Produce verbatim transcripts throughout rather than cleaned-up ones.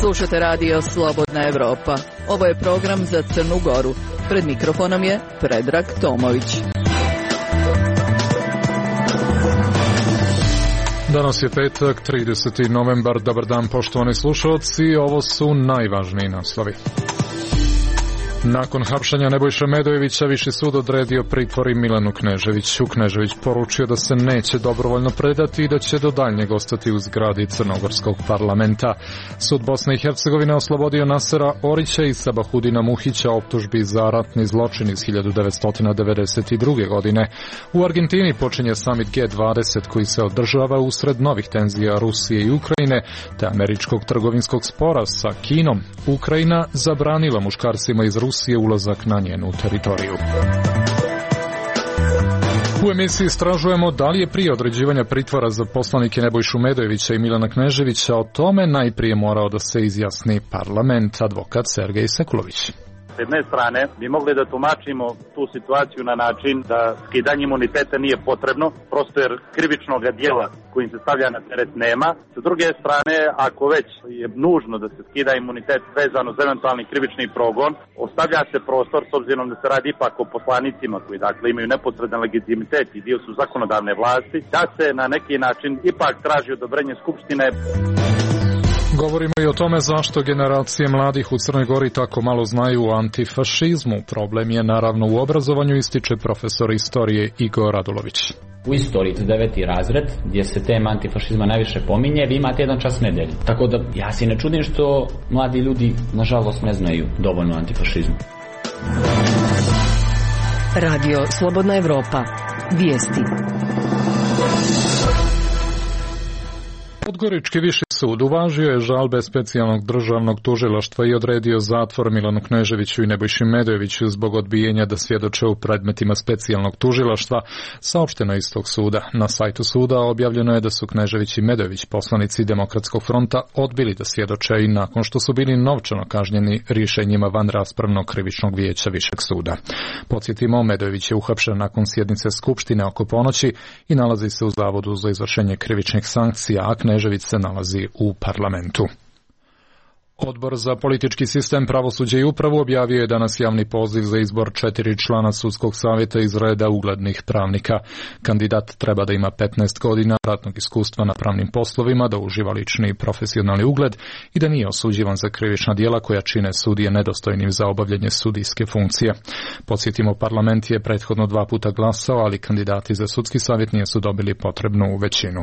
Slušate radio Slobodna Evropa. Ovo je program za Crnu Goru. Pred mikrofonom je Predrag Tomović. Danas je petak, trideseti novembar. Dobar dan, poštovani slušalci. Ovo su najvažniji naslovi. Nakon hapšenja Nebojše Medojevića, Viši sud odredio pritvor i Milanu Kneževiću. Knežević poručio da se neće dobrovoljno predati i da će do daljnjeg ostati u zgradi Crnogorskog parlamenta. Sud Bosne i Hercegovine oslobodio Nasera Orića i Sabahudina Muhića optužbi za ratni zločin iz hiljadu devetsto devedeset druge. godine. U Argentini počinje samit G dvadeset koji se održava usred novih tenzija Rusije i Ukrajine te američkog trgovinskog spora sa Kinom. Ukrajina zabranila muškarcima iz Rusije je ulazak na njenu teritoriju. U emisiji istražujemo da li je prije određivanja pritvora za poslanike Nebojšu Medojevića i Milana Kneževića o tome najprije morao da se izjasni parlament. Advokat Sergej Sekulović. S jedne strane bi mogli da tumačimo tu situaciju na način da skidanje imuniteta nije potrebno, prosto jer krivičnog dijela kojim se stavlja na teret nema. Sa druge strane, ako već je nužno da se skida imunitet vezano za eventualni krivični progon, ostavlja se prostor, s obzirom da se radi ipak o poslanicima koji dakle imaju neposredan legitimitet i dio su zakonodavne vlasti, da se na neki način ipak traži odobrenje Skupštine. Govorimo i o tome zašto generacije mladih u Crnoj Gori tako malo znaju o antifašizmu. Problem je naravno u obrazovanju, ističe profesor istorije Igor Radulović. U istoriji, to deveti razred, gdje se tema antifašizma najviše pominje, vi imate jedan čas nedelju. Tako da ja se ne čudim što mladi ljudi, nažalost, ne znaju dovoljno o antifašizmu. Radio Slobodna Evropa. Vijesti. Podgorički viši sud uvažio je žalbe specijalnog državnog tužilaštva i odredio zatvor Milanu Kneževiću i Nebojši Medojeviću zbog odbijenja da svjedoče u predmetima specijalnog tužilaštva, saopšteno iz tog suda. Na sajtu suda objavljeno je da su Knežević i Medojević, poslanici Demokratskog fronta, odbili da svjedoče i nakon što su bili novčano kažnjeni rješenjima vanraspravnog krivičnog vijeća Višeg suda. Podsjetimo, Medojević je uhapšen nakon sjednice Skupštine oko ponoći i nalazi se u Zavodu za izvršenje krivičnih sankcija, a Knežević se nalazi u parlamentu. Odbor za politički sistem, pravosuđe i upravu objavio je danas javni poziv za izbor četiri člana sudskog savjeta iz reda uglednih pravnika. Kandidat treba da ima petnaest godina ratnog iskustva na pravnim poslovima, da uživa lični i profesionalni ugled i da nije osuđivan za krivična djela koja čine sudije nedostojnim za obavljanje sudijske funkcije. Podsjetimo, parlament je prethodno dva puta glasao, ali kandidati za sudski savjet nisu dobili potrebnu većinu.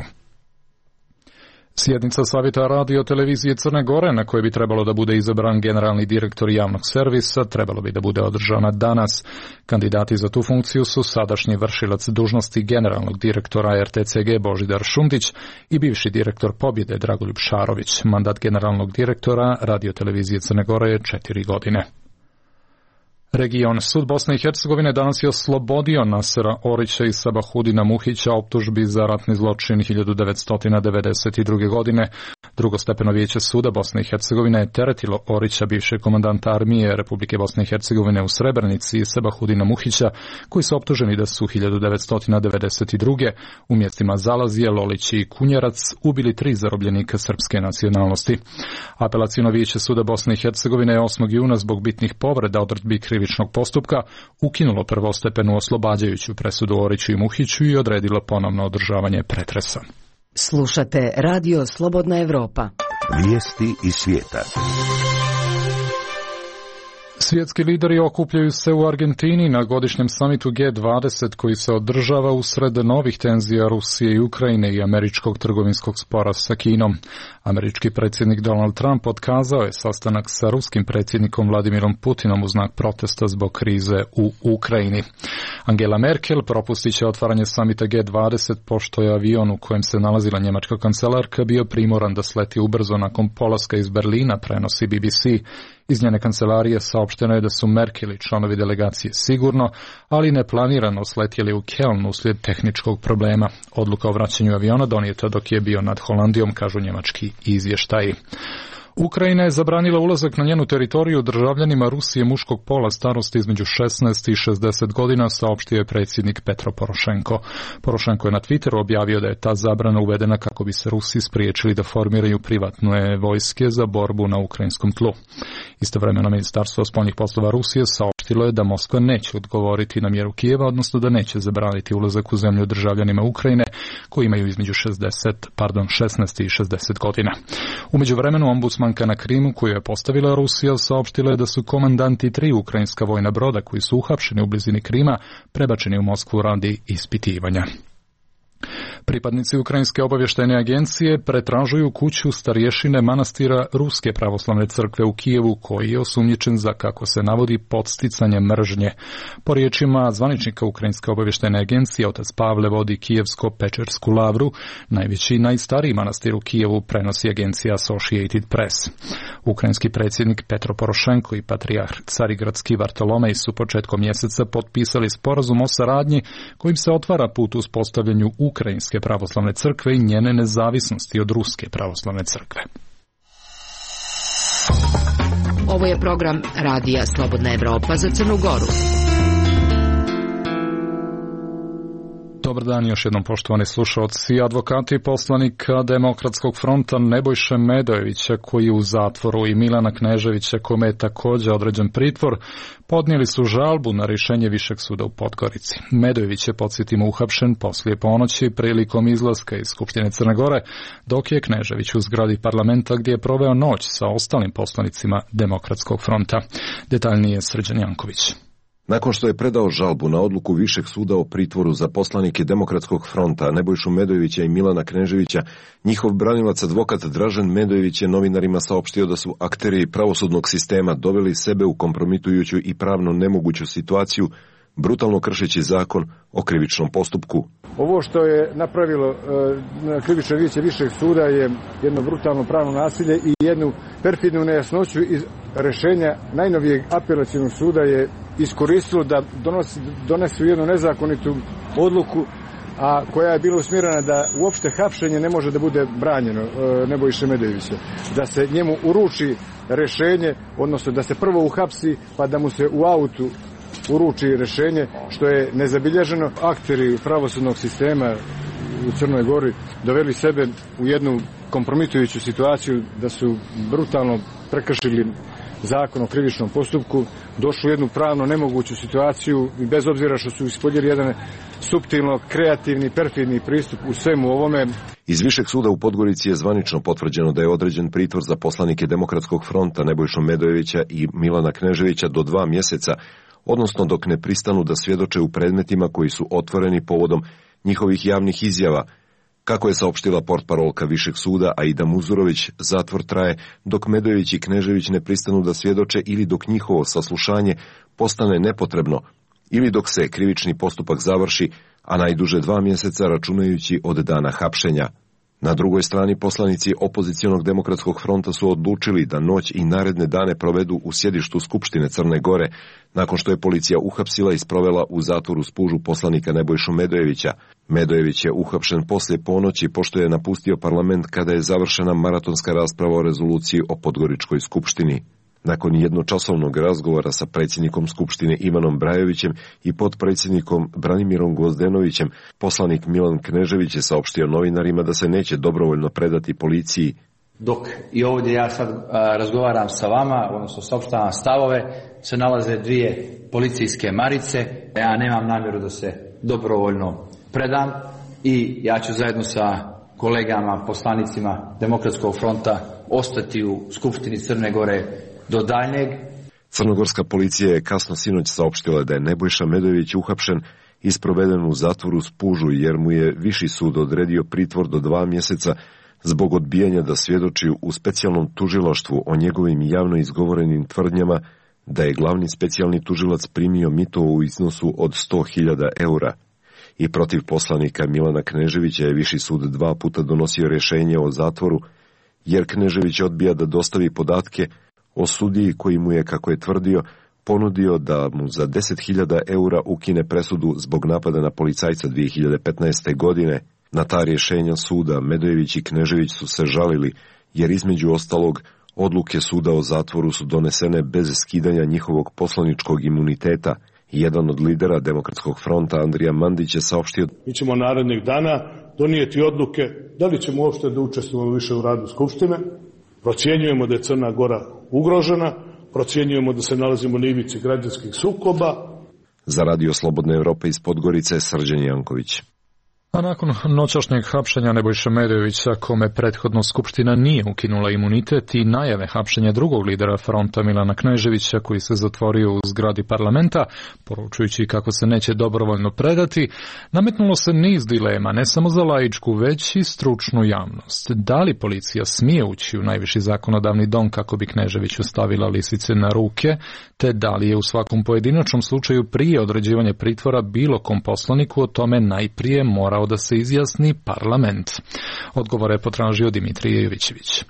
Sjednica Savjeta radio televizije Crne Gore, na kojoj bi trebalo da bude izabran generalni direktor javnog servisa, trebalo bi da bude održana danas. Kandidati za tu funkciju su sadašnji vršilac dužnosti generalnog direktora R T C G Božidar Šundić i bivši direktor Pobjede Dragoljub Šarović. Mandat generalnog direktora radio televizije Crne Gore je četiri godine. Region. Sud Bosne i Hercegovine danas je oslobodio Nasera Orića i Sabahudina Muhića optužbi za ratni zločin hiljadu devetsto devedeset druge. godine. Drugostepeno vijeće suda Bosne i Hercegovine je teretilo Orića, bivšeg komandanta armije Republike Bosne i Hercegovine u Srebrenici, i Sabahudina Muhića, koji su optuženi da su hiljadu devetsto devedeset druge. u mjestima Zalazije, Lolić i Kunjerac ubili tri zarobljenika srpske nacionalnosti. Apelaciono vijeće suda Bosne i Hercegovine je osmog juna zbog bitnih povreda odredbi krivičnog postupka ukinulo prvostepenu oslobađajuću presudu Oriću i Muhiću i odredilo ponovno održavanje pretresa. Slušate Radio Slobodna Evropa. Vijesti iz svijeta. Svjetski lideri okupljaju se u Argentini na godišnjem samitu G dvadeset koji se održava usred novih tenzija Rusije i Ukrajine i američkog trgovinskog spora sa Kinom. Američki predsjednik Donald Trump otkazao je sastanak sa ruskim predsjednikom Vladimirom Putinom u znak protesta zbog krize u Ukrajini. Angela Merkel propustit će otvaranje samita G dvadeset pošto je avion u kojem se nalazila njemačka kancelarka bio primoran da sleti ubrzo nakon polaska iz Berlina, prenosi B B C. Iz njene kancelarije saopšteno je da su Merkel i članovi delegacije sigurno, ali neplanirano sletjeli u Köln uslijed tehničkog problema. Odluka o vraćanju aviona donijeta dok je bio nad Holandijom, kažu njemački izvještaji. Ukrajina je zabranila ulazak na njenu teritoriju državljanima Rusije muškog pola starosti između šesnaest i šezdeset godina, saopštio je predsjednik Petro Porošenko. Porošenko je na Twitteru objavio da je ta zabrana uvedena kako bi se Rusi spriječili da formiraju privatne vojske za borbu na ukrajinskom tlu. Istovremeno Ministarstvo spoljnih poslova Rusije saopštilo je da Moskva neće odgovoriti na mjeru Kijeva, odnosno da neće zabraniti ulazak u zemlju državljanima Ukrajine koji imaju između šezdeset, pardon, šesnaest i šezdeset godina. U međuvremenu ombudsmanka na Krimu koju je postavila Rusija saopštila je da su komandanti tri ukrajinska vojna broda koji su uhapšeni u blizini Krima prebačeni u Moskvu radi ispitivanja. Pripadnici Ukrajinske obavještajne agencije pretražuju kuću starješine manastira Ruske pravoslavne crkve u Kijevu koji je osumnjičen za, kako se navodi, podsticanje mržnje. Po riječima zvaničnika Ukrajinske obavještajne agencije, otac Pavle vodi Kijevsko-Pečersku lavru, najveći i najstariji manastir u Kijevu, prenosi agencija Associated Press. Ukrajinski predsjednik Petro Porošenko i patrijarh Carigradski Vartolomej su početkom mjeseca potpisali sporazum o saradnji kojim se otvara put uspostavljanju Ukrajinske pravoslavne crkve i njene nezavisnosti od Ruske pravoslavne crkve. Ovo je program Radija Slobodna Evropa za Crnu Goru. Dobar dan još jednom, poštovani slušalci. Advokati poslanika Demokratskog fronta Nebojše Medojevića, koji je u zatvoru, i Milana Kneževića, kome je također određen pritvor, podnijeli su žalbu na rješenje Višeg suda u Podgorici. Medojević je, podsjetimo, uhapšen poslije ponoći prilikom izlaska iz Skupštine Crne Gore, dok je Knežević u zgradi parlamenta gdje je proveo noć sa ostalim poslanicima Demokratskog fronta. Detaljnije Srđan Janković. Nakon što je predao žalbu na odluku Višeg suda o pritvoru za poslanike Demokratskog fronta Nebojšu Medojevića i Milana Kneževića, njihov branilac advokat Dražen Medojević je novinarima saopštio da su akteri pravosudnog sistema doveli sebe u kompromitujuću i pravno nemoguću situaciju, brutalno kršeći zakon o krivičnom postupku. Ovo što je napravilo e, krivično vijeće Višeg suda je jedno brutalno pravno nasilje i jednu perfidnu nejasnoću iz rješenja najnovijeg apelacionog suda je iskoristilo da donosi, donesu jednu nezakonitu odluku, a koja je bila usmjerena da uopšte hapšenje ne može da bude branjeno e, Nebojše Medojevića. Da se njemu uruči rješenje, odnosno da se prvo uhapsi pa da mu se u autu uruči rješenje, što je nezabilježeno. Akteri pravosudnog sistema u Crnoj Gori doveli sebe u jednu kompromitujuću situaciju da su brutalno prekršili zakon o krivičnom postupku, došli u jednu pravno nemoguću situaciju i bez obzira što su ispoljili jedan suptilno, kreativni, perfidni pristup u svemu ovome. Iz Višeg suda u Podgorici je zvanično potvrđeno da je određen pritvor za poslanike Demokratskog fronta Nebojšu Medojevića i Milana Kneževića do dva mjeseca, odnosno dok ne pristanu da svjedoče u predmetima koji su otvoreni povodom njihovih javnih izjava. Kako je saopštila portparolka Višeg suda Aida Muzurović, zatvor traje dok Medojević i Knežević ne pristanu da svjedoče ili dok njihovo saslušanje postane nepotrebno ili dok se krivični postupak završi, a najduže dva mjeseca računajući od dana hapšenja. Na drugoj strani poslanici opozicionog Demokratskog fronta su odlučili da noć i naredne dane provedu u sjedištu Skupštine Crne Gore, nakon što je policija uhapsila i sprovela u zatvoru Spužu poslanika Nebojšu Medojevića. Medojević je uhapšen poslije ponoći pošto je napustio parlament kada je završena maratonska rasprava o rezoluciji o Podgoričkoj skupštini. Nakon jednočasovnog razgovora sa predsjednikom Skupštine Ivanom Brajovićem i potpredsjednikom Branimirom Gvozdenovićem, poslanik Milan Knežević je saopštio novinarima da se neće dobrovoljno predati policiji. Dok i ovdje ja sad a, razgovaram sa vama, odnosno saopštavam stavove, se nalaze dvije policijske marice. Ja nemam namjeru da se dobrovoljno predam i ja ću zajedno sa kolegama, poslanicima Demokratskog fronta ostati u Skupštini Crne Gore do daljnjeg. Crnogorska policija je kasno sinoć saopštila da je Nebojša Medojević uhapšen i sproveden u zatvoru Spužu jer mu je Viši sud odredio pritvor do dva mjeseca zbog odbijanja da svjedoči u specijalnom tužilaštvu o njegovim javno izgovorenim tvrdnjama da je glavni specijalni tužilac primio mito u iznosu od sto hiljada eura. I protiv poslanika Milana Kneževića je Viši sud dva puta donosio rješenje o zatvoru jer Knežević odbija da dostavi podatke o sudiji koji mu je, kako je tvrdio, ponudio da mu za deset hiljada eura ukine presudu zbog napada na policajca dvije hiljade petnaeste. godine. Na ta rješenja suda Medojević i Knežević su se žalili, jer između ostalog Odluke suda o zatvoru su donesene bez skidanja njihovog poslaničkog imuniteta. Jedan od lidera Demokratskog fronta, Andrija Mandić, je saopštio: Mi ćemo narednih dana donijeti odluke da li ćemo uopšte da učestvujemo više u radu Skupštine. Procjenjujemo da je Crna Gora ugrožena, procjenjujemo da se nalazimo na ivici građanskih sukoba. Za Radio Slobodne Evrope iz Podgorice, Srđan Janković. A nakon noćašnjeg hapšenja Nebojše Medojevića, kome prethodno Skupština nije ukinula imunitet, i najave hapšenja drugog lidera fronta Milana Kneževića, koji se zatvorio u zgradi parlamenta, poručujući kako se neće dobrovoljno predati, nametnulo se niz dilema, ne samo za laičku, već i stručnu javnost. Da li policija smije ući u najviši zakonodavni dom kako bi Kneževiću stavila lisice na ruke, te da li je u svakom pojedinačnom slučaju prije određivanja pritvora bilo kom poslaniku o tome najprije morao da se izjasni parlament. Odgovore je potražio Dimitrije Jovićević.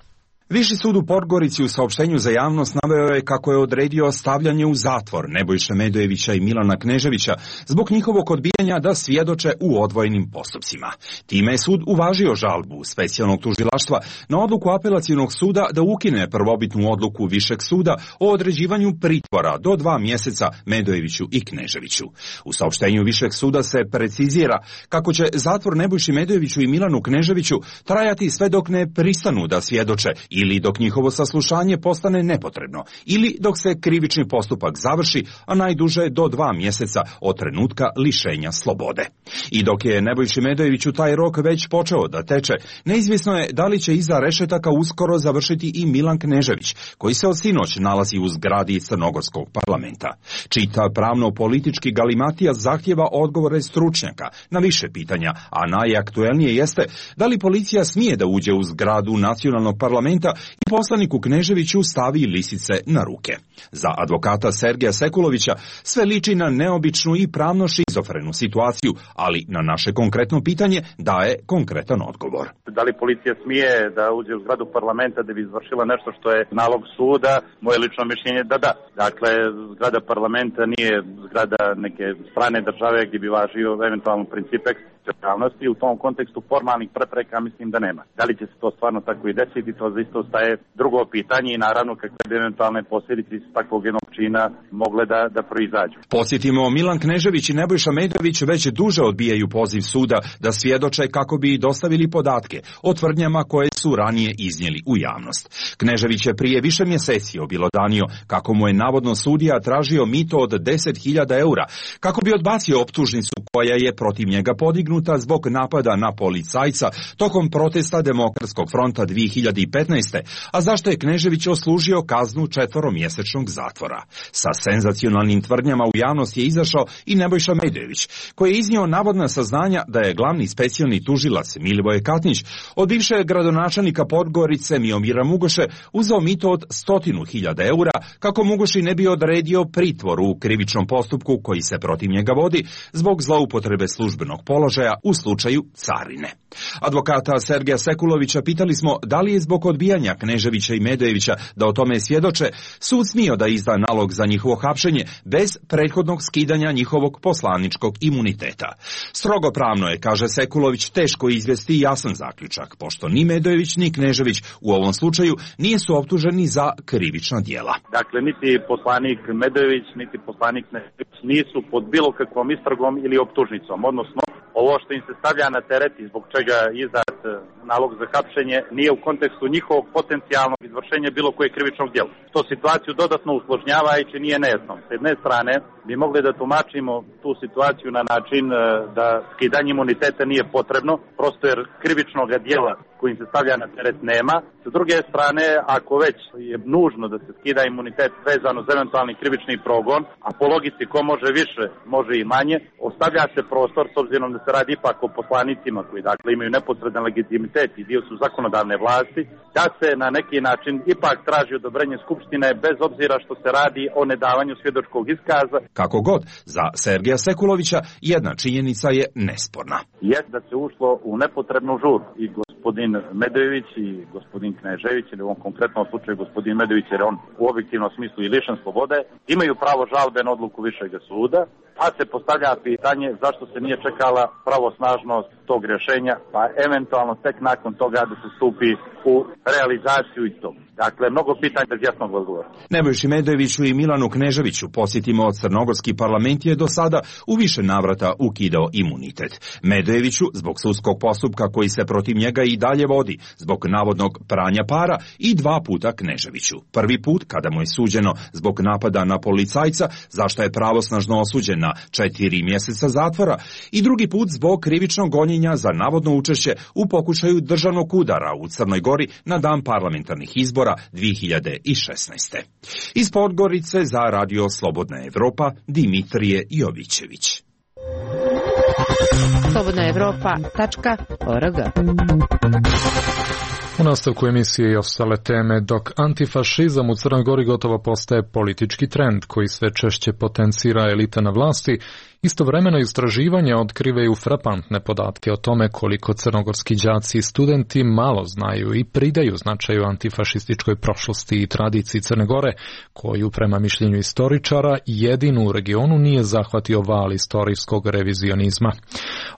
Viši sud u Podgorici u saopštenju za javnost naveo je kako je odredio stavljanje u zatvor Nebojše Medojevića i Milana Kneževića zbog njihovog odbijanja da svjedoče u odvojenim postupcima. Time je sud uvažio žalbu specijalnog tužilaštva na odluku apelacionog suda da ukine prvobitnu odluku Višeg suda o određivanju pritvora do dva mjeseca Medojeviću i Kneževiću. U saopštenju Višeg suda se precizira kako će zatvor Nebojši Medojeviću i Milanu Kneževiću trajati sve dok ne pristanu da svjedoče ili dok njihovo saslušanje postane nepotrebno, ili dok se krivični postupak završi, a najduže do dva mjeseca od trenutka lišenja slobode. I dok je Nebojši Medojeviću taj rok već počeo da teče, neizvjesno je da li će iza rešetaka uskoro završiti i Milan Knežević, koji se od sinoć nalazi u zgradi Crnogorskog parlamenta. Čita pravno-politički galimatija zahtjeva odgovore stručnjaka na više pitanja, a najaktuelnije jeste da li policija smije da uđe u zgradu nacionalnog parlamenta i poslaniku Kneževiću stavi lisice na ruke. Za advokata Sergeja Sekulovića sve liči na neobičnu i pravno šizofrenu situaciju, ali na naše konkretno pitanje daje konkretan odgovor. Da li policija smije da uđe u zgradu parlamenta da bi izvršila nešto što je nalog suda? Moje lično mišljenje da da. Dakle, zgrada parlamenta nije zgrada neke strane države gdje bi važio eventualno princip eksteritorijalnosti. U tom kontekstu formalnih prepreka mislim da nema. Da li će se to stvarno tako i desiti, to zaista ostaje drugo pitanje i naravno kakve bi eventualne posljedice iz takvog jednog čina mogle da, da proizađu. Posjetimo, Milan Knežević i Nebojša Medojević već duže odbijaju poziv suda da svjedoče kako bi dostavili podatke o tvrdnjama koje su ranije iznijeli u javnost. Knežević je prije više mjeseci objelodanio kako mu je navodno sudija tražio mito od deset hiljada eura kako bi odbacio optužnicu koja je protiv njega podignuta zbog napada na policajca tokom protesta Demokratskog fronta dvije hiljade petnaeste. a zašto je Knežević oslužio kaznu četveromjesečnog zatvora. Sa senzacionalnim tvrdnjama u javnost je izašao i Nebojša Medojević, koji je iznio navodna saznanja da je glavni specijalni tužilac Milivoje Katnić od bivšeg gradonačelnika Podgorice Miomira Mugoše uzeo mito od stotinu hiljada eura kako Mugoši ne bi odredio pritvor u krivičnom postupku koji se protiv njega vodi zbog zloupotrebe službenog položaja u slučaju carine. Advokata Sergeja Sekulovića pitali smo da li je zbog odbijanja Kneževića i Medojevića da o tome svjedoče sud smio da izda nalog za njihovo hapšenje bez prethodnog skidanja njihovog poslaničkog imuniteta. Strogo pravno je, kaže Sekulović, teško izvesti jasan zaključak, pošto ni Medojević ni Knežević u ovom slučaju nisu optuženi za krivična djela. Dakle, niti poslanik Medojević, niti poslanik Knežević nisu pod bilo kakvom istragom ili optužnicom, odnosno ovo što im se stavlja na teret i zbog čega je izdat nalog za hapšenje nije u kontekstu njihovog potencijalnog izvršenja bilo koje krivičnog djela. To situaciju dodatno usložnjava i čini je nejasnom. S jedne strane bi mogli da tumačimo tu situaciju na način da skidanje imuniteta nije potrebno, prosto jer krivičnog djela kojim se stavlja na teret nema. S druge strane, ako već je nužno da se skida imunitet vezano za eventualni krivični progon, a po logici ko može više, može i manje, ostavlja se prostor, s obzirom da se radi ipak o poslanicima koji dakle imaju neposredan legitimitet i dio su zakonodavne vlasti, da se na neki način ipak traži odobrenje Skupštine bez obzira što se radi o nedavanju svjedočkog iskaza. Kako god, za Sergeja Sekulovića jedna činjenica je nesporna. Jest da se ušlo u nepotrebnu žurbu i gospodin Medojević i gospodin Knežević, ili u ovom konkretnom slučaju gospodin Medojević, jer on u objektivnom smislu i lišen slobode, imaju pravo žalbe na odluku Višeg suda, pa se postavlja pitanje zašto se nije čekala pravosnažnost tog rješenja, pa eventualno tek nakon toga da se stupi u realizaciju istog. Dakle, mnogo pitanja bez jasnog odgovora. Nebojši Medojeviću i Milanu Kneževiću, posjetimo, crnogorski parlament je do sada u više navrata ukidao imunitet. Medojeviću zbog sudskog postupka koji se protiv njega i dalje vodi, zbog navodnog pranja para, i dva puta Kneževiću. Prvi put kada mu je suđeno zbog napada na policajca, za što je pravosnažno osuđen na četiri mjeseca zatvora, i drugi put zbog krivičnog gonjenja za navodno učešće u pokušaju državnog udara u Crnoj Gori na dan parlamentarnih izbora dvije hiljade šesnaeste. Iz Podgorice za Radio Slobodna Evropa, Dimitrije Jovićević. slobodna evropa tačka org. U nastavku emisije i ostale teme, dok antifašizam u Crnoj Gori gotovo postaje politički trend koji sve češće potencira elita na vlasti, istovremeno istraživanja otkrivaju frapantne podatke o tome koliko crnogorski đaci i studenti malo znaju i pridaju značaju antifašističkoj prošlosti i tradiciji Crne Gore, koju prema mišljenju istoričara jedinu u regionu nije zahvatio val istorijskog revizionizma.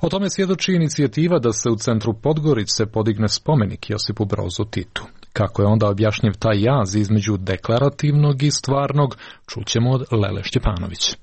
O tome svjedoči inicijativa da se u centru Podgorice podigne spomenik Josipu Brozu Titu. Kako je onda objašnjiv taj jaz između deklarativnog i stvarnog, čućemo od Lele Šćepanović.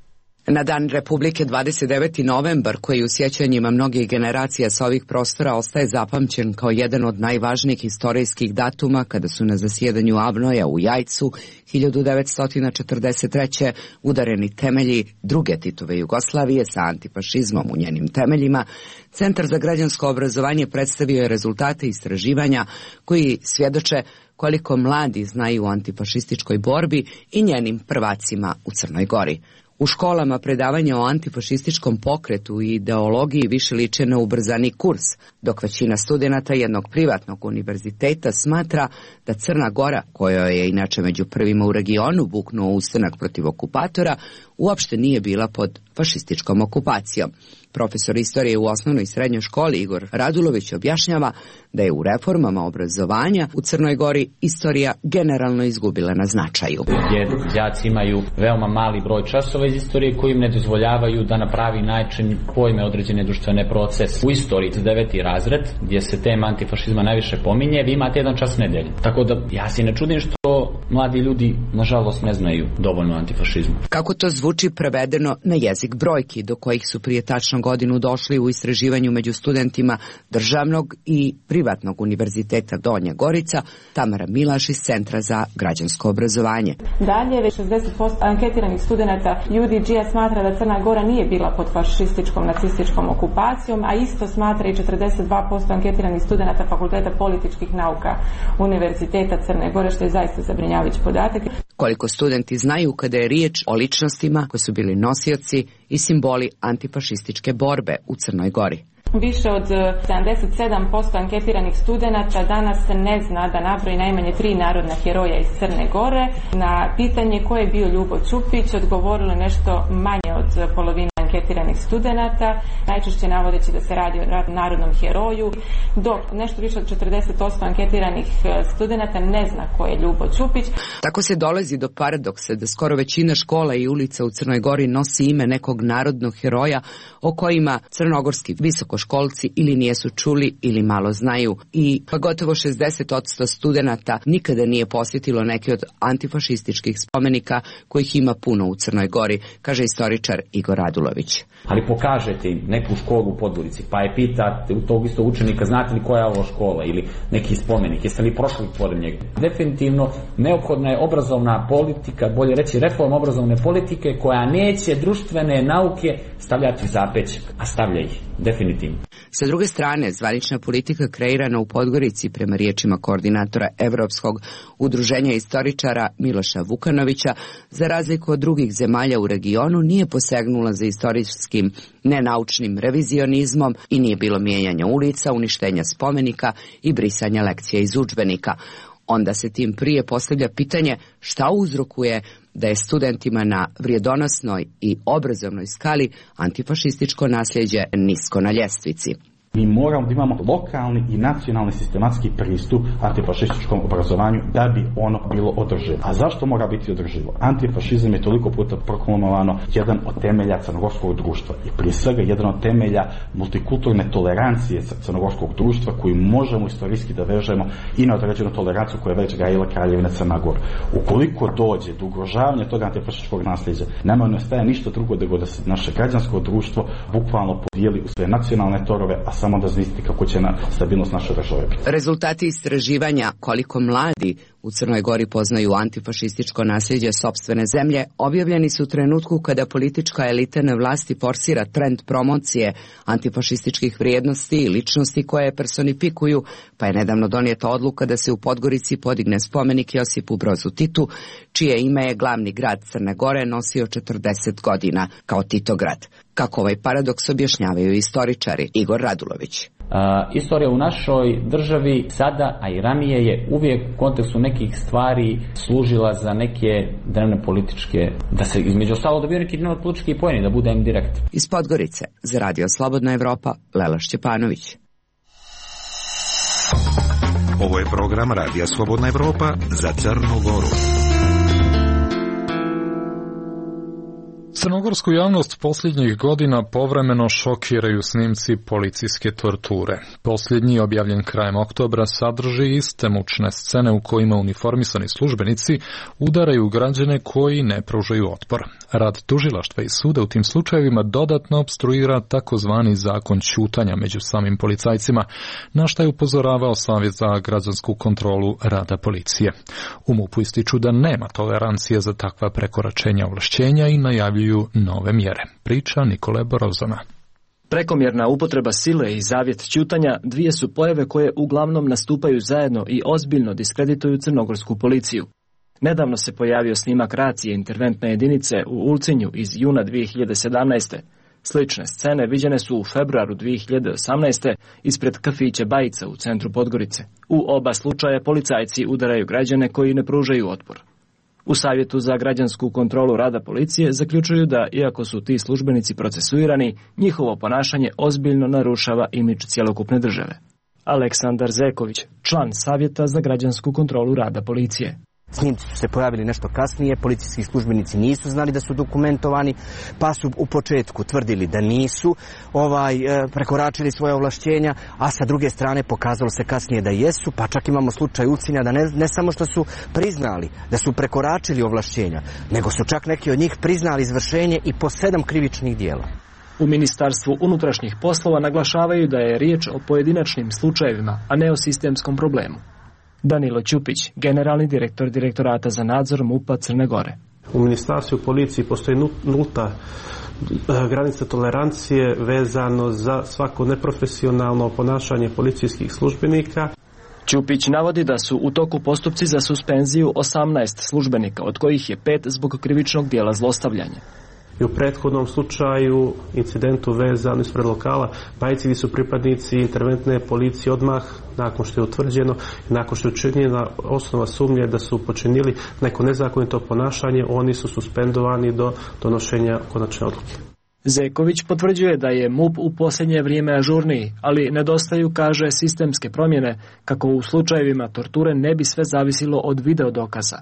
Na Dan Republike dvadeset deveti novembar, koji u sjećanjima mnogih generacija sa ovih prostora ostaje zapamćen kao jedan od najvažnijih istorijskih datuma, kada su na zasjedanju Avnoja u Jajcu hiljadu devetsto četrdeset treće udareni temelji druge Titove Jugoslavije sa antifašizmom u njenim temeljima, Centar za građansko obrazovanje predstavio je rezultate istraživanja koji svjedoče koliko mladi znaju o antifašističkoj borbi i njenim prvacima u Crnoj Gori. U školama predavanja o antifašističkom pokretu i ideologiji više liče na ubrzani kurs, dok većina studenata jednog privatnog univerziteta smatra da Crna Gora, koja je inače među prvima u regionu buknuo ustanak protiv okupatora, uopšte nije bila pod fašističkom okupacijom. Profesor istorije u osnovnoj i srednjoj školi Igor Radulović objašnjava da je u reformama obrazovanja u Crnoj Gori istorija generalno izgubila na značaju. Jer đaci imaju veoma mali broj časova iz istorije koji im ne dozvoljavaju da na pravi način pojme određene društvene procese. U istoriji deveti razred, gdje se tema antifašizma najviše pominje, vi imate jedan čas nedelje. Tako da ja se ne čudim što mladi ljudi nažalost ne znaju dovoljno o antifašizmu. Kako to zvuči prevedeno na jezik brojki, do kojih su prije tačno godinu došli u istraživanju među studentima državnog i privatnog univerziteta Donja Gorica, Tamara Milaš iz Centra za građansko obrazovanje. Dalje, već šezdeset posto anketiranih studenata U D G-a smatra da Crna Gora nije bila pod fašističkom nacističkom okupacijom, a isto smatra i četrdeset dva posto anketiranih studenata Fakulteta političkih nauka Univerziteta Crne Gore, što je zaista zabrinjavajući podatak. Koliko studenti znaju kada je riječ o ličnostima koji su bili nosioci i simboli antifašističke borbe u Crnoj Gori. Više od sedamdeset sedam posto anketiranih studenata danas ne zna da nabroji najmanje tri narodna heroja iz Crne Gore. Na pitanje ko je bio Ljubo Ćupić odgovorilo nešto manje od polovine anketiranih studenata, najčešće navodeći da se radi o narodnom heroju, dok nešto više od četrdeset osam anketiranih studenata ne zna ko je Ljubo Ćupić. Tako se dolazi do paradoksa da skoro većina škola i ulica u Crnoj Gori nosi ime nekog narodnog heroja o kojima crnogorski visokoškolci ili nijesu čuli ili malo znaju, i pa gotovo šezdeset posto studenata nikada nije posjetilo neki od antifašističkih spomenika kojih ima puno u Crnoj Gori, kaže istoričar Igor Radulović. Ali pokažete im neku školu u Podgorici, pa je pitate u tog istog učenika, znate li koja je ovo škola ili neki spomenik, jeste li prošli pored njega. Definitivno neophodna je obrazovna politika, bolje reći reforma obrazovne politike, koja neće društvene nauke stavljati zapećak, a stavlja ih, definitivno. Sa druge strane, zvanična politika kreirana u Podgorici, prema riječima koordinatora Evropskog udruženja istoričara Miloša Vukanovića, za razliku od drugih zemalja u regionu, nije posegnula za istorijskim nenaučnim revizionizmom i nije bilo mijenjanja ulica, uništenja spomenika i brisanja lekcija iz udžbenika. Onda se tim prije postavlja pitanje šta uzrokuje da je studentima na vrijedonosnoj i obrazovnoj skali antifašističko nasljeđe nisko na ljestvici. Mi moramo da imamo lokalni i nacionalni sistematski pristup antifašističkom obrazovanju da bi ono bilo održivo. A zašto mora biti održivo? Antifašizam je toliko puta proklamovano jedan od temelja crnogorskog društva i prije svega jedan od temelja multikulturne tolerancije crnogorskog društva koju možemo istorijski da vežemo i na određenu toleranciju koju je već gajila Kraljevina Crna Gora. Ukoliko dođe do ugrožavanja tog antifašističkog nasljeđa, nama ne ostaje ništa drugo nego da se naše građansko društvo bukvalno podijeli u sve nacionalne torove, a samo da zvisiti kako će na stabilnost naše države. Rezultati istraživanja koliko mladi u Crnoj Gori poznaju antifašističko nasljeđe sopstvene zemlje objavljeni su u trenutku kada politička elita na vlasti forsira trend promocije antifašističkih vrijednosti i ličnosti koje personifikuju, pa je nedavno donijeta odluka da se u Podgorici podigne spomenik Josipu Brozu Titu, čije ime je glavni grad Crne Gore nosio četrdeset godina kao Titograd. Kako ovaj paradoks objašnjavaju istoričari. Igor Radulović. Uh, istorija u našoj državi sada, a i ranije je uvijek u kontekstu nekih stvari služila za neke dnevne političke, da se između ostalo dobiju neki dnevno politički poeni, da budem direkt. Iz Podgorice, za Radio Slobodna Evropa, Lela Šćepanović. Ovo je program Radija Slobodna Evropa za Crnu Goru. Crnogorsku javnost posljednjih godina povremeno šokiraju snimci policijske torture. Posljednji, objavljen krajem oktobra, sadrži iste mučne scene u kojima uniformisani službenici udaraju građane koji ne pružaju otpor. Rad tužilaštva i suda u tim slučajevima dodatno opstruira takozvani zakon ćutanja među samim policajcima, na šta je upozoravao Savjet za građansku kontrolu rada policije. U MUP-u ističu da nema tolerancije za takva prekoračenja ovlašćenja i najavljuju nove mjere. Priča Nikole Borozana. Prekomjerna upotreba sile i zavjet ćutanja dvije su pojave koje uglavnom nastupaju zajedno i ozbiljno diskredituju crnogorsku policiju. Nedavno se pojavio snimak racije interventne jedinice u Ulcinju iz juna dvije hiljade sedamnaeste. Slične scene viđene su u februaru dvije hiljade osamnaeste. ispred kafića Bajica u centru Podgorice. U oba slučaja policajci udaraju građane koji ne pružaju otpor. U Savjetu za građansku kontrolu rada policije zaključuju da, iako su ti službenici procesuirani, njihovo ponašanje ozbiljno narušava imidž cjelokupne države. Aleksandar Zeković, član Savjeta za građansku kontrolu rada policije. Snimci su se pojavili nešto kasnije, policijski službenici nisu znali da su dokumentovani, pa su u početku tvrdili da nisu ovaj, prekoračili svoje ovlašćenja, a sa druge strane pokazalo se kasnije da jesu, pa čak imamo slučaj Ulcinja da ne, ne samo što su priznali da su prekoračili ovlašćenja, nego su čak neki od njih priznali izvršenje i po sedam krivičnih dijela. U Ministarstvu unutrašnjih poslova naglašavaju da je riječ o pojedinačnim slučajevima, a ne o sistemskom problemu. Danilo Ćupić, generalni direktor Direktorata za nadzor MUP-a Crne Gore. U Ministarstvu policiji postoji nulta granica tolerancije vezano za svako neprofesionalno ponašanje policijskih službenika. Ćupić navodi da su u toku postupci za suspenziju osamnaest službenika, od kojih je pet zbog krivičnog dijela zlostavljanja. I u prethodnom slučaju, incidentu vezano ispred lokala Bajici, gdje su pripadnici interventne policije odmah, nakon što je utvrđeno, nakon što je učinjena osnova sumnje da su počinili neko nezakonito ponašanje, oni su suspendovani do donošenja konačne odluke. Zeković potvrđuje da je MUP u posljednje vrijeme ažurniji, ali nedostaju, kaže, sistemske promjene, kako u slučajevima torture ne bi sve zavisilo od video dokaza.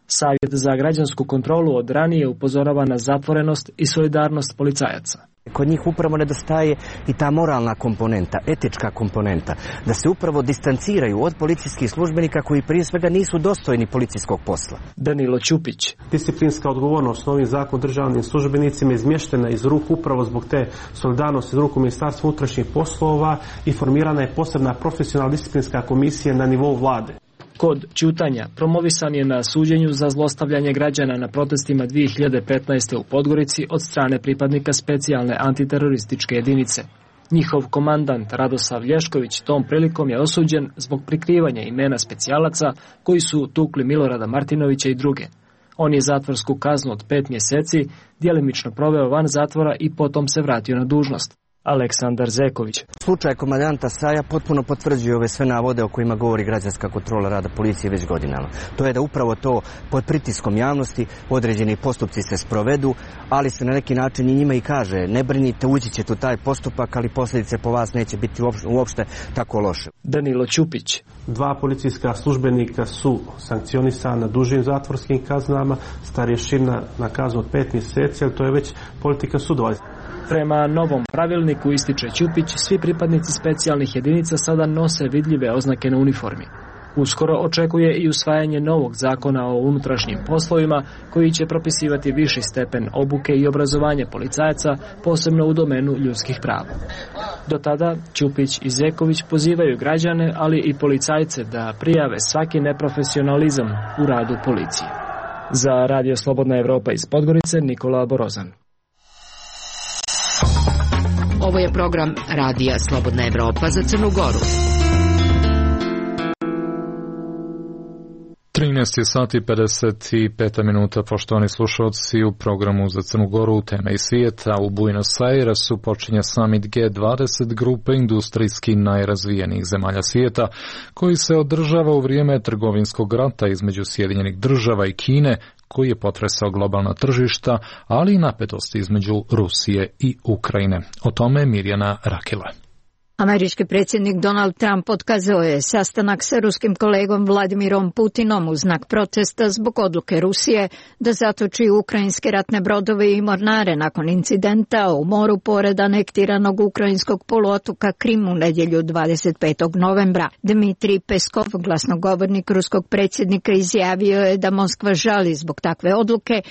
Savjet za građansku kontrolu od ranije upozorava na zatvorenost i solidarnost policajaca. Kod njih upravo nedostaje i ta moralna komponenta, etička komponenta, da se upravo distanciraju od policijskih službenika koji prije svega nisu dostojni policijskog posla. Danilo Ćupić. Disciplinska odgovornost novim zakon državnim službenicima izmještena iz ruku upravo zbog te solidarnosti iz ruku Ministarstva unutrašnjih poslova i formirana je posebna profesionalna disciplinska komisija na nivou vlade. Kod ćutanja promovisan je na suđenju za zlostavljanje građana na protestima dvije hiljade petnaeste. u Podgorici od strane pripadnika specijalne antiterorističke jedinice. Njihov komandant Radosav Lješković tom prilikom je osuđen zbog prikrivanja imena specijalaca koji su tukli Milorada Martinovića i druge. On je zatvorsku kaznu od pet mjeseci djelimično proveo van zatvora i potom se vratio na dužnost. Aleksandar Zeković. Slučaj komandanta Saja potpuno potvrđuje ove sve navode o kojima govori građanska kontrola rada policije već godinama. To je da upravo to pod pritiskom javnosti određeni postupci se sprovedu, ali se na neki način i njima i kaže ne brinite, ući ćete u taj postupak, ali posljedice po vas neće biti uopšte tako loše. Danilo Ćupić. Dva policijska službenika su sankcionisana dužim zatvorskim kaznama, starješina na kaznu od pet mjeseci, ali to je već politika sudova. Prema novom pravilniku, ističe Ćupić, svi pripadnici specijalnih jedinica sada nose vidljive oznake na uniformi. Uskoro očekuje i usvajanje novog zakona o unutrašnjim poslovima koji će propisivati viši stepen obuke i obrazovanje policajaca, posebno u domenu ljudskih prava. Do tada Ćupić i Zeković pozivaju građane, ali i policajce da prijave svaki neprofesionalizam u radu policije. Za Radio Slobodna Evropa iz Podgorice, Nikola Borozan. Ovo je program Radija Slobodna Evropa za Crnu Goru. trinaest sati pedeset pet minuta, poštovani slušalci, u programu za Crnu Goru teme i svijeta. U Buenos Airesu počinje summit G dvadeset grupe industrijski najrazvijenijih zemalja svijeta, koji se održava u vrijeme trgovinskog rata između Sjedinjenih država i Kine, koji je potresao globalna tržišta, ali i napetosti između Rusije i Ukrajine. O tome Mirjana Rakela. Američki predsjednik Donald Trump otkazao je sastanak sa ruskim kolegom Vladimirom Putinom u znak protesta zbog odluke Rusije da zatoči ukrajinske ratne brodove i mornare nakon incidenta u moru pored anektiranog ukrajinskog poluotoka Krim u nedjelju dvadeset petog novembra. Dmitrij Peskov, glasnogovornik ruskog predsjednika, izjavio je da Moskva žali zbog takve odluke,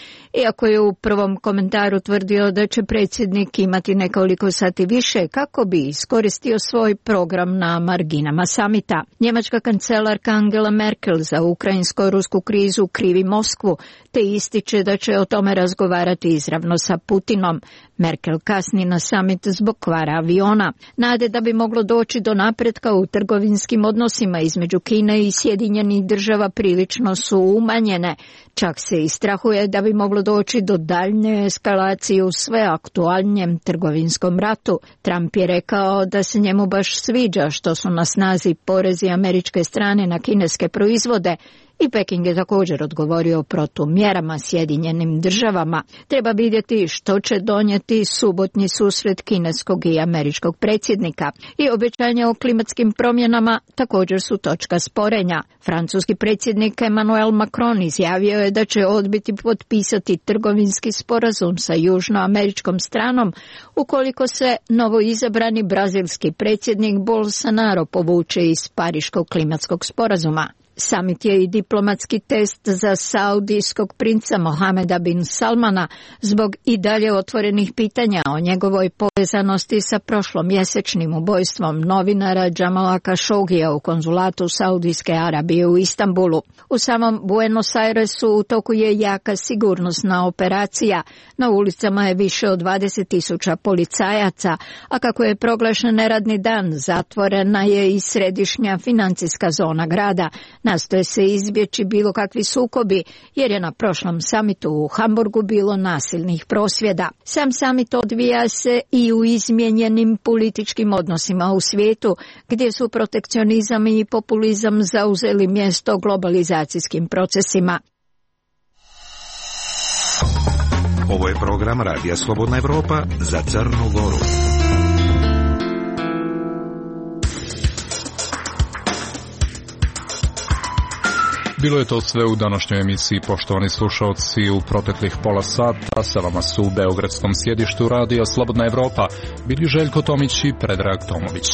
iako je u prvom komentaru tvrdio da će predsjednik imati nekoliko sati više kako bi iskoristio svoj program na marginama samita. Njemačka kancelarka Angela Merkel za ukrajinsko-rusku krizu krivi Moskvu, te ističe da će o tome razgovarati izravno sa Putinom. Merkel kasni na samit zbog kvara aviona. Nade da bi moglo doći do napretka u trgovinskim odnosima između Kine i Sjedinjenih država prilično su umanjene. Čak se i strahuje da bi moglo doći do daljnje eskalacije u sve aktualnijem trgovinskom ratu. Trump je rekao da se njemu baš sviđa što su na snazi porezi američke strane na kineske proizvode, i Peking je također odgovorio protumjerama Sjedinjenim državama. Treba vidjeti što će donijeti subotnji susret kineskog i američkog predsjednika. I obećanja o klimatskim promjenama također su točka sporenja. Francuski predsjednik Emmanuel Macron izjavio je da će odbiti potpisati trgovinski sporazum sa južnoameričkom stranom ukoliko se novoizabrani brazilski predsjednik Bolsonaro povuče iz Pariškog klimatskog sporazuma. Samit je i diplomatski test za saudijskog princa Mohameda bin Salmana zbog i dalje otvorenih pitanja o njegovoj povezanosti sa prošlomjesečnim ubojstvom novinara Jamala Khashoggija u konzulatu Saudijske Arabije u Istanbulu. U samom Buenos Airesu u toku je jaka sigurnosna operacija. Na ulicama je više od dvadeset tisuća policajaca, a kako je proglašen neradni dan, zatvorena je i središnja financijska zona grada. Nastoje se izbjeći bilo kakvi sukobi, jer je na prošlom samitu u Hamburgu bilo nasilnih prosvjeda. Sam samit odvija se i u izmijenjenim političkim odnosima u svijetu, gdje su protekcionizam i populizam zauzeli mjesto globalizacijskim procesima. Ovo je program Radija Slobodna Evropa za Crnu Goru. Bilo je to sve u današnjoj emisiji, poštovani slušalci. U proteklih pola sata sa vama su u beogradskom sjedištu Radija Slobodna Evropa bili Željko Tomić i Predrag Tomović.